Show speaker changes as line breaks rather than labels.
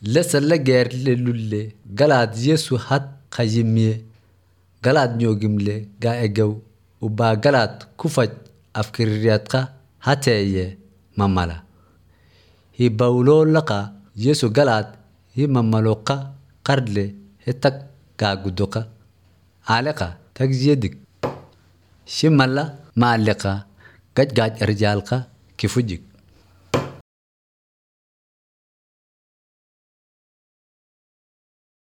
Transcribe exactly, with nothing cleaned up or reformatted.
Lesalla gerle lulle galad Yesu hat khayimye galad nyogimle ga egew uba galad kufaj afkiriyatka hateye mamala. Hi bawlo laqa Yesu galad hi mamaloqa qardle hetak ga gudoqa. Aleqa tagziyedik. Shimala ma'alqa gaj gaj erjalqa kifujik.